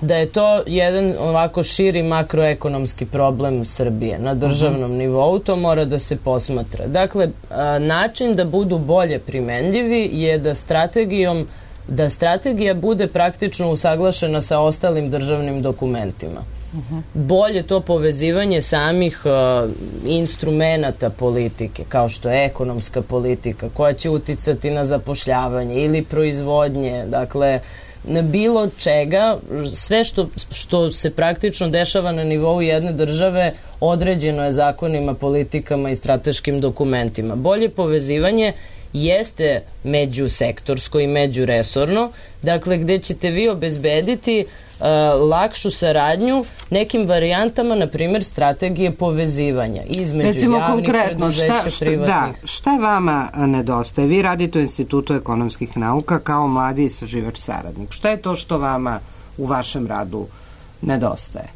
da je to jedan ovako širi makroekonomski problem Srbije na državnom uh-huh. nivou, to mora da se posmatra. Dakle, uh, način da budu bolje primenljivi je da strategijom da strategija bude praktično usaglašena sa ostalim državnim dokumentima. Uh-huh. Bolje to povezivanje samih uh, instrumenata politike, kao što je ekonomska politika, koja će uticati na zapošljavanje ili proizvodnje, dakle, na bilo čega, sve što, što se praktično dešava na nivou jedne države određeno je zakonima, politikama i strateškim dokumentima. Bolje povezivanje jeste međusektorsko i međuresorno, dakle, gde ćete vi obezbediti uh, lakšu saradnju nekim varijantama, na primjer, strategije povezivanja između recimo, javnih preduzeća, šta, šta, privatnih. Da, šta vama nedostaje? Vi radite u Institutu ekonomskih nauka kao mladi istraživač saradnik. Šta je to što vama u vašem radu nedostaje?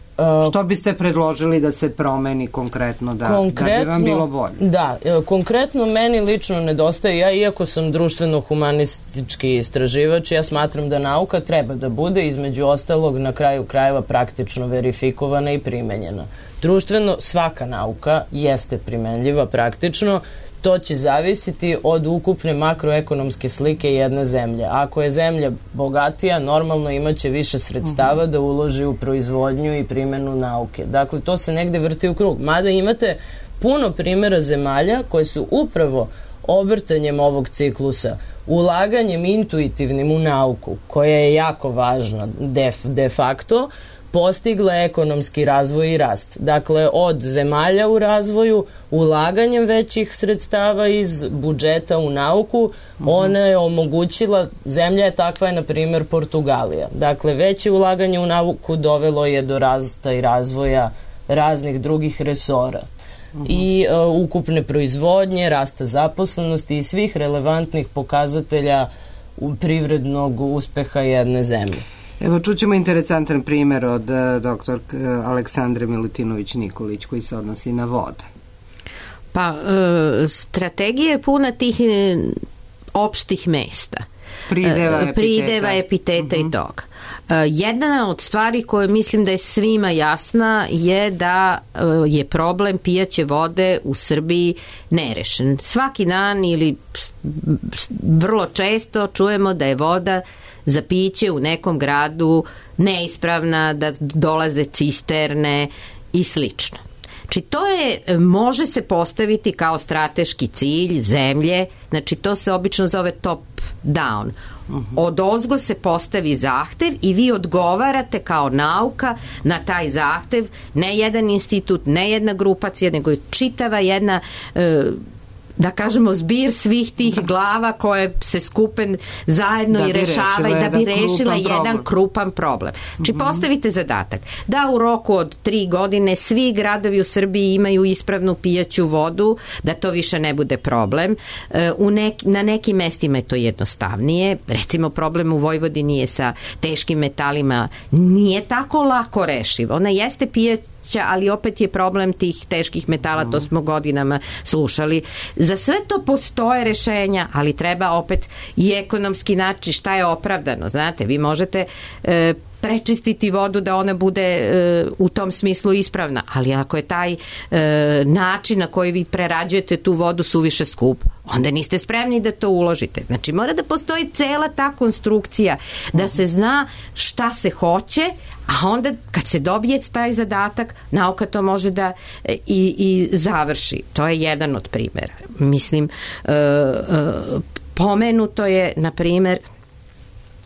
Što biste predložili da se promeni konkretno, da, konkretno, da bi vam bilo bolje? Da, konkretno meni lično nedostaje, ja iako sam društveno-humanistički istraživač, ja smatram da nauka treba da bude između ostalog na kraju krajeva praktično verifikovana i primenjena. Društveno svaka nauka jeste primenljiva praktično, to će zavisiti od ukupne makroekonomske slike jedne zemlje. Ako je zemlja bogatija, normalno imaće više sredstava da uloži u proizvodnju i primjenu nauke. Dakle, to se negde vrti u krug. Mada imate puno primjera zemalja koje su upravo obrtanjem ovog ciklusa, ulaganjem intuitivnim u nauku, koja je jako važna de, de facto, postigla ekonomski razvoj i rast. Dakle, od zemalja u razvoju, ulaganjem većih sredstava iz budžeta u nauku, mm-hmm. ona je omogućila, zemlja je takva je, na primjer, Portugalija. Dakle, veće ulaganje u nauku dovelo je do rasta i razvoja raznih drugih resora. Mm-hmm. I uh, ukupne proizvodnje, rasta zaposlenosti i svih relevantnih pokazatelja privrednog uspeha jedne zemlje. Evo, čućemo interesantan primjer od doktor Aleksandre Milutinović-Nikolić koji se odnosi na vode. Pa, e, strategija je puna tih e, opštih mesta. prideva, epiteta, prideva, epiteta uh-huh. i toga. Jedna od stvari koje mislim da je svima jasna je da je problem pijaće vode u Srbiji nerešen. Svaki dan ili vrlo često čujemo da je voda za piće u nekom gradu neispravna, da dolaze cisterne i slično. Znači to je, može se postaviti kao strateški cilj zemlje, znači to se obično zove top down. Od ozgo se postavi zahtev i vi odgovarate kao nauka na taj zahtev, ne jedan institut, ne jedna grupacija, nego je čitava jedna e, da kažemo zbir svih tih glava koje se skupe zajedno i rešavaju da bi rešila jedan krupan problem. Znači postavite zadatak da u roku od tri godine svi gradovi u Srbiji imaju ispravnu pijaću vodu, da to više ne bude problem. U nek, na nekim mestima je to jednostavnije. Recimo problem u Vojvodini je sa teškim metalima nije tako lako rešiv. Ona jeste pijaća, ali opet je problem tih teških metala, to smo godinama slušali. Za sve to postoje rešenja, ali treba opet i ekonomski naći šta je opravdano. Znate, vi možete e, prečistiti vodu da ona bude e, u tom smislu ispravna, ali ako je taj e, način na koji vi prerađujete tu vodu suviše skup, onda niste spremni da to uložite. Znači mora da postoji cela ta konstrukcija da se zna šta se hoće, a onda kad se dobije taj zadatak, nauka to može da i, i završi. To je jedan od primjera. Mislim, e, e, pomenuto je, na primjer,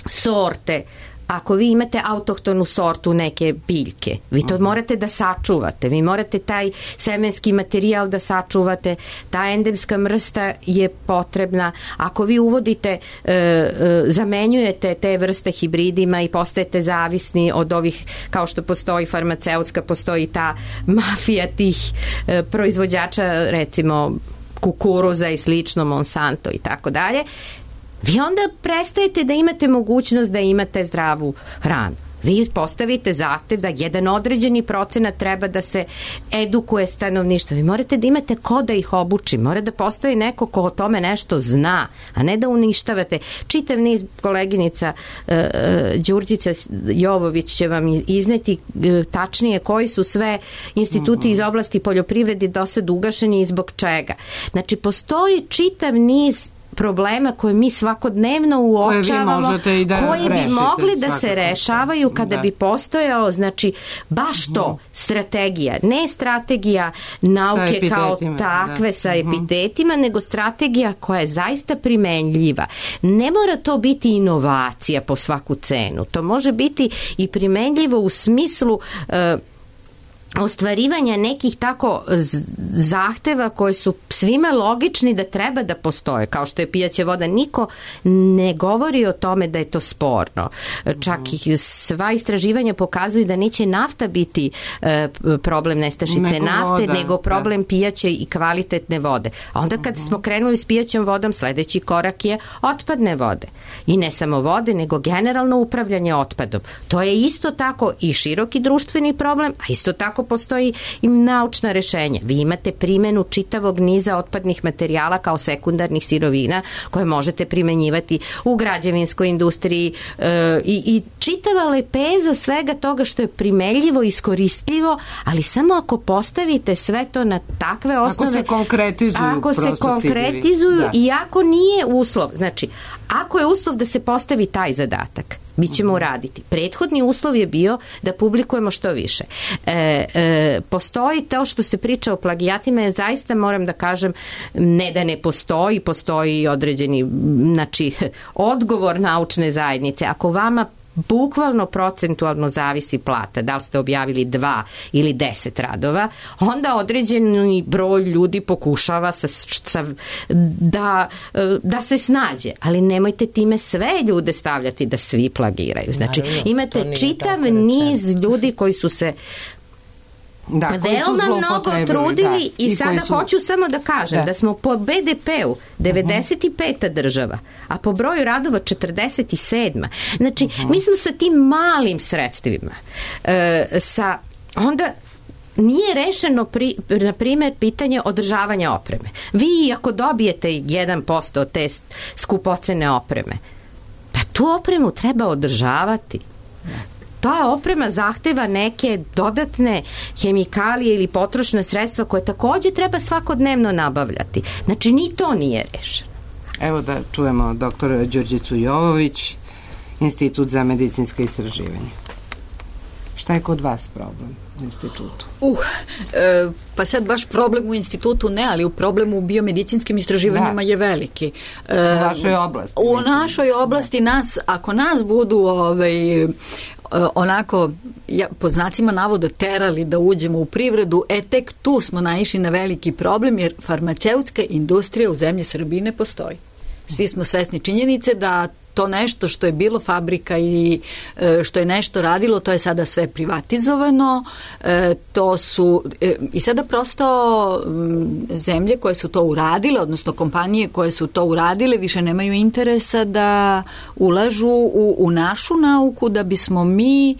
sorte. Ako vi imate autohtonu sortu neke biljke, vi to morate da sačuvate, vi morate taj semenski materijal da sačuvate, ta endemska vrsta je potrebna. Ako vi uvodite, e, e, zamenjujete te vrste hibridima i postajete zavisni od ovih, kao što postoji farmaceutska, postoji ta mafija tih e, proizvođača, recimo kukuruza i slično, Monsanto i tako dalje, vi onda prestajete da imate mogućnost da imate zdravu hranu. Vi postavite zahtev da jedan određeni procenat treba da se edukuje stanovništvo. Vi morate da imate ko da ih obuči. Mora da postoji neko ko o tome nešto zna, a ne da uništavate. Čitav niz koleginica uh, Đurđica Jovović će vam izneti uh, tačnije koji su sve instituti iz oblasti poljoprivrede do sad ugašeni i zbog čega. Znači, postoji čitav niz problema koje mi svakodnevno uočavamo, koji da koji bi rešite, mogli da se rešavaju kada da. bi postojao, znači, baš to, strategija, ne strategija nauke kao takve da. sa epitetima, nego strategija koja je zaista primenljiva. Ne mora to biti inovacija po svaku cenu, to može biti i primenljivo u smislu uh, ostvarivanja nekih tako zahteva koji su svima logični da treba da postoje, kao što je pijaća voda. Niko ne govori o tome da je to sporno. Čak i sva istraživanja pokazuju da neće nafta biti e, problem nestašice nego nafte, voda, nego problem da. pijaće i kvalitetne vode. A onda kad smo krenuli s pijaćom vodom, sledeći korak je otpadne vode. I ne samo vode, nego generalno upravljanje otpadom. To je isto tako i široki društveni problem, a isto tako postoji i naučna rešenja. Vi imate primenu čitavog niza otpadnih materijala kao sekundarnih sirovina koje možete primenjivati u građevinskoj industriji e, i, i čitava lepeza svega toga što je primenljivo, iskoristljivo, ali samo ako postavite sve to na takve osnove. Ako se konkretizuju. Ako se konkretizuju da. i ako nije uslov. Znači, ako je uslov da se postavi taj zadatak, mi ćemo uraditi. Prethodni uslov je bio da publikujemo što više. E, e, postoji to što se priča o plagijatima, je zaista, moram da kažem, ne da ne postoji, postoji određeni, znači, odgovor naučne zajednice. Ako vama bukvalno procentualno zavisi plata, da li ste objavili dva ili deset radova, onda određeni broj ljudi pokušava sa, sa, da, da se snađe, ali nemojte time sve ljude stavljati da svi plagiraju. Znači, imate čitav niz ljudi koji su se Da, veoma mnogo trudili da. i, I sada su... hoću samo da kažem da, da smo po be de peu devedeset peta država, a po broju radova četrdeset sedma. Znači, uh-huh. mi smo sa tim malim sredstvima e, sa onda nije rešeno, pri, na primjer, pitanje održavanja opreme. Vi ako dobijete jedan posto od te skupocene opreme, tu opremu treba održavati. Ta oprema zahteva neke dodatne hemikalije ili potrošna sredstva koje takođe treba svakodnevno nabavljati. Znači, ni to nije rešeno. Evo da čujemo doktora Đurđicu Jovović, Institut za medicinska istraživanja. Šta je kod vas problem u institutu? Uh, e, pa sad baš problem u institutu ne, ali u problemu u biomedicinskim istraživanjima da. je veliki. E, u vašoj oblasti? U mislim. našoj oblasti da. nas, ako nas budu ovaj, onako, ja, pod znacima navoda terali da uđemo u privredu, e tek tu smo naišli na veliki problem, jer farmaceutska industrija u zemlji Srbiji ne postoji. Svi smo svesni činjenice da to nešto što je bilo fabrika i što je nešto radilo, to je sada sve privatizovano. E, to su e, i sada prosto m, zemlje koje su to uradile, odnosno kompanije koje su to uradile, više nemaju interesa da ulažu u, u našu nauku da bismo mi e,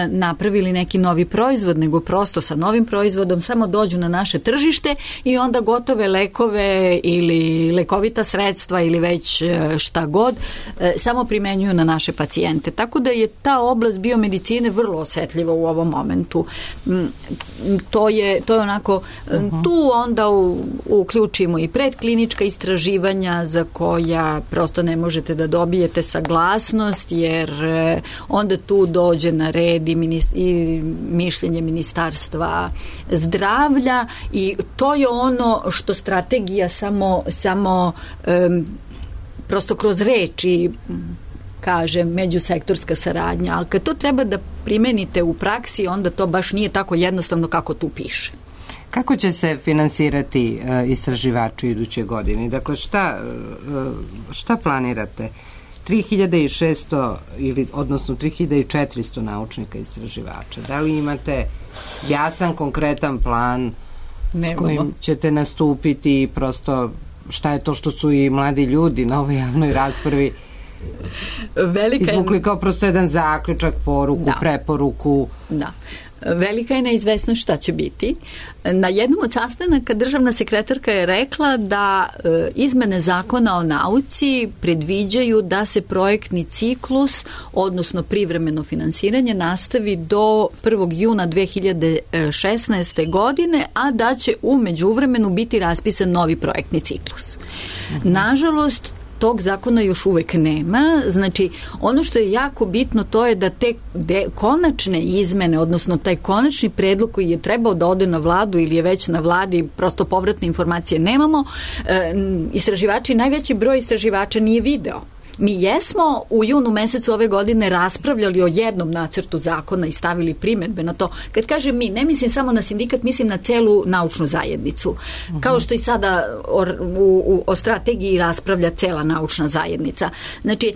napravili neki novi proizvod, nego prosto sa novim proizvodom samo dođu na naše tržište i onda gotove lekove ili lekovita sredstva ili već šta god e, samo primenjuju na naše pacijente. Tako da je ta oblast biomedicine vrlo osetljiva u ovom momentu. To je, to je onako, uh-huh. tu onda u, uključimo i predklinička istraživanja za koja prosto ne možete da dobijete saglasnost, jer onda tu dođe na red i, minis, i mišljenje Ministarstva zdravlja i to je ono što strategija samo, samo um, prosto kroz reči kaže međusektorska saradnja, ali kad to treba da primenite u praksi, onda to baš nije tako jednostavno kako tu piše. Kako će se finansirati uh, istraživači iduće godine? Dakle, šta, uh, šta planirate? tri hiljade šesto ili odnosno tri hiljade četiristo naučnika istraživača. Da li imate jasan, konkretan plan Nemamo. s kojim ćete nastupiti i prosto šta je to što su i mladi ljudi na ovoj javnoj raspravi Velika izvukli je... kao prosto jedan zaključak, poruku, da. preporuku? Da. Velika je neizvesnost šta će biti. Na jednom od sastanaka državna sekretarka je rekla da e, izmene zakona o nauci predviđaju da se projektni ciklus, odnosno privremeno finansiranje, nastavi do prvog juna dve hiljade šesnaeste. godine, a da će u međuvremenu biti raspisan novi projektni ciklus. Mhm. Nažalost, tog zakona još uvek nema. Znači, ono što je jako bitno to je da te de, konačne izmene, odnosno taj konačni predlog koji je trebao da ode na vladu ili je već na vladi, prosto povratne informacije nemamo, e, istraživači, najveći broj istraživača nije video. Mi jesmo u junu mesecu ove godine raspravljali o jednom nacrtu zakona i stavili primedbe na to. Kad kažem mi, ne mislim samo na sindikat, mislim na celu naučnu zajednicu. Uh-huh. Kao što i sada o, u, o strategiji raspravlja cela naučna zajednica. Znači,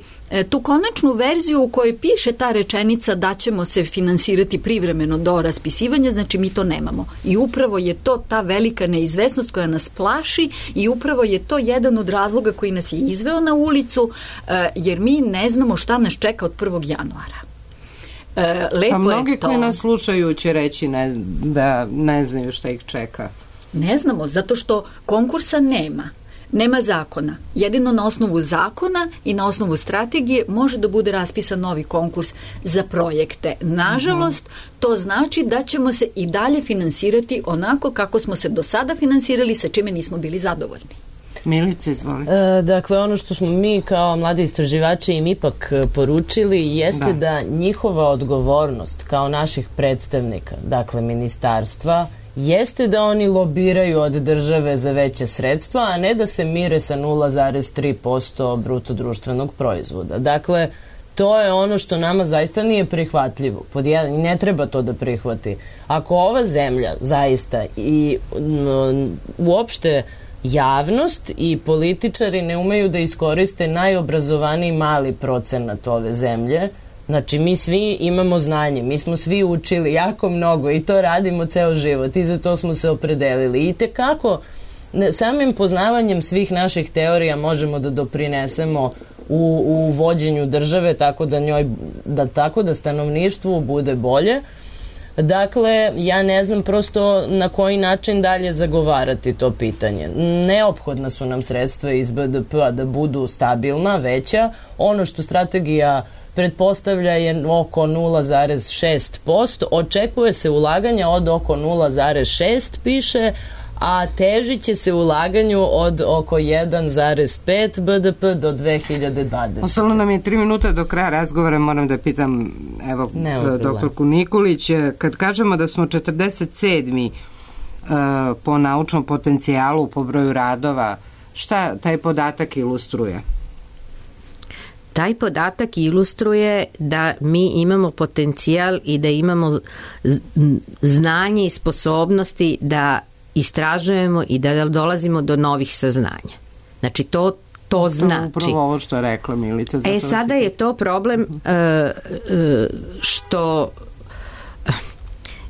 tu konačnu verziju u kojoj piše ta rečenica da ćemo se finansirati privremeno do raspisivanja, znači mi to nemamo. I upravo je to ta velika neizvesnost koja nas plaši i upravo je to jedan od razloga koji nas je izveo na ulicu, jer mi ne znamo šta nas čeka od prvog januara. Lepo pa mnogi je to. Koji nas slušaju će reći ne, da ne znaju šta ih čeka. Ne znamo, zato što konkursa nema. Nema zakona. Jedino na osnovu zakona i na osnovu strategije može da bude raspisan novi konkurs za projekte. Nažalost, to znači da ćemo se i dalje finansirati onako kako smo se do sada finansirali, sa čime nismo bili zadovoljni. Milice, izvolite. E, dakle, ono što smo mi kao mladi istraživači im ipak poručili jeste da, da njihova odgovornost kao naših predstavnika, dakle ministarstva, jeste da oni lobiraju od države za veće sredstva, a ne da se mire sa nula zarez tri posto bruto društvenog proizvoda. Dakle, to je ono što nama zaista nije prihvatljivo. Pod jedan, ne treba to da prihvati. Ako ova zemlja zaista i m, uopšte javnost i političari ne umeju da iskoriste najobrazovaniji mali procenat ove zemlje, znači mi svi imamo znanje, mi smo svi učili jako mnogo i to radimo ceo život i za to smo se opredelili. I tekako samim poznavanjem svih naših teorija možemo da doprinesemo u, u vođenju države tako da njoj, da tako da stanovništvu bude bolje. Dakle, ja ne znam prosto na koji način dalje zagovarati to pitanje. Neophodna su nam sredstva iz B D P-a da budu stabilna, veća. Ono što strategija pretpostavlja je oko nula zarez šest posto. Očekuje se ulaganja od oko nula zarez šest, piše, a težit će se ulaganju od oko jedan zarez pet B D P do dve hiljade dvadesete. Ostalo nam je tri minuta do kraja razgovora, moram da pitam evo doktorku Nikolić, kad kažemo da smo četrdeset sedmi uh, po naučnom potencijalu, po broju radova, šta taj podatak ilustruje? Taj podatak ilustruje da mi imamo potencijal i da imamo znanje i sposobnosti da istražujemo i da dolazimo do novih saznanja. Znači, to to znači. Upravo ovo što je rekla Milica. E, sada je to problem uh, uh, što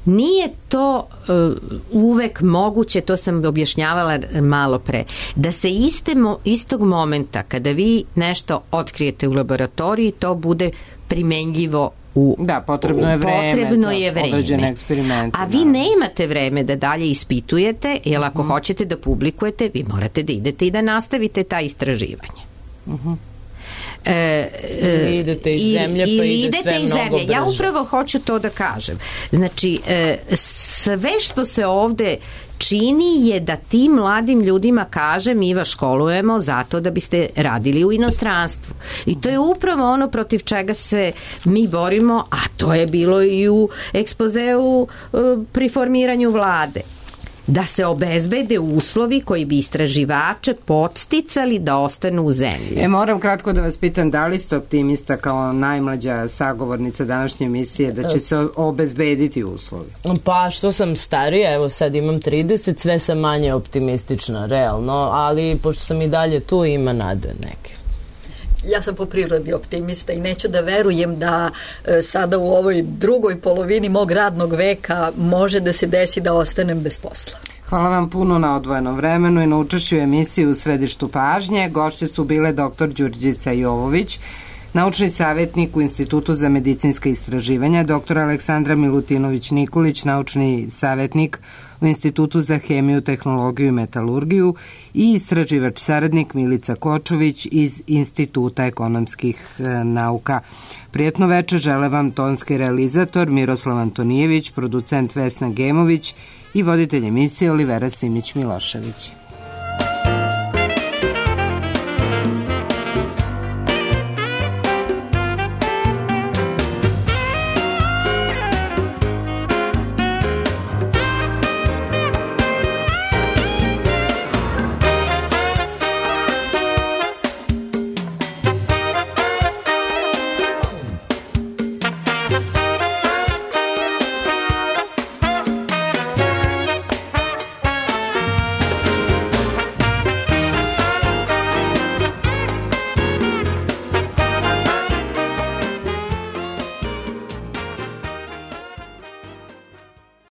nije to uh, uvek moguće, to sam objašnjavala malo pre, da se iste mo, istog momenta kada vi nešto otkrijete u laboratoriji, to bude primenljivo u, da, potrebno je vreme, potrebno je vreme. Određene eksperimente. A vi da. ne imate vreme da dalje ispitujete, jer ako uh-huh. hoćete da publikujete, vi morate da idete i da nastavite ta istraživanje. Uh-huh. E, e, idete iz zemlje, pa ide sve mnogo brže. Ja upravo hoću to da kažem. Znači, e, sve što se ovde čini je da tim mladim ljudima kaže mi vas školujemo zato da biste radili u inostranstvu. I to je upravo ono protiv čega se mi borimo, a to je bilo i u ekspozeu e, pri formiranju vlade. Da se obezbede uslovi koji bi istraživače podsticali da ostanu u zemlji. E, moram kratko da vas pitam, da li ste optimista kao najmlađa sagovornica današnje emisije da će se obezbediti uslovi? Pa što sam starija, evo sad imam trideset, sve sam manje optimistična, realno, ali pošto sam i dalje tu, ima nade neke. Ja sam po prirodi optimista i neću da verujem da e, sada u ovoj drugoj polovini mog radnog veka može da se desi da ostanem bez posla. Hvala vam puno na odvojenom vremenu i na učešću u emisiji U središtu pažnje. Gošće su bile doktor Đurđica Jovović, naučni savjetnik u Institutu za medicinska istraživanja, doktor Aleksandra Milutinović-Nikolić, naučni savjetnik u Institutu za hemiju, tehnologiju i metalurgiju i istraživač saradnik Milica Kočović iz Instituta ekonomskih e, nauka. Prijetno večer žele vam tonski realizator Miroslav Antonijević, producent Vesna Gemović i voditelj emisije Olivera Simić-Milošević.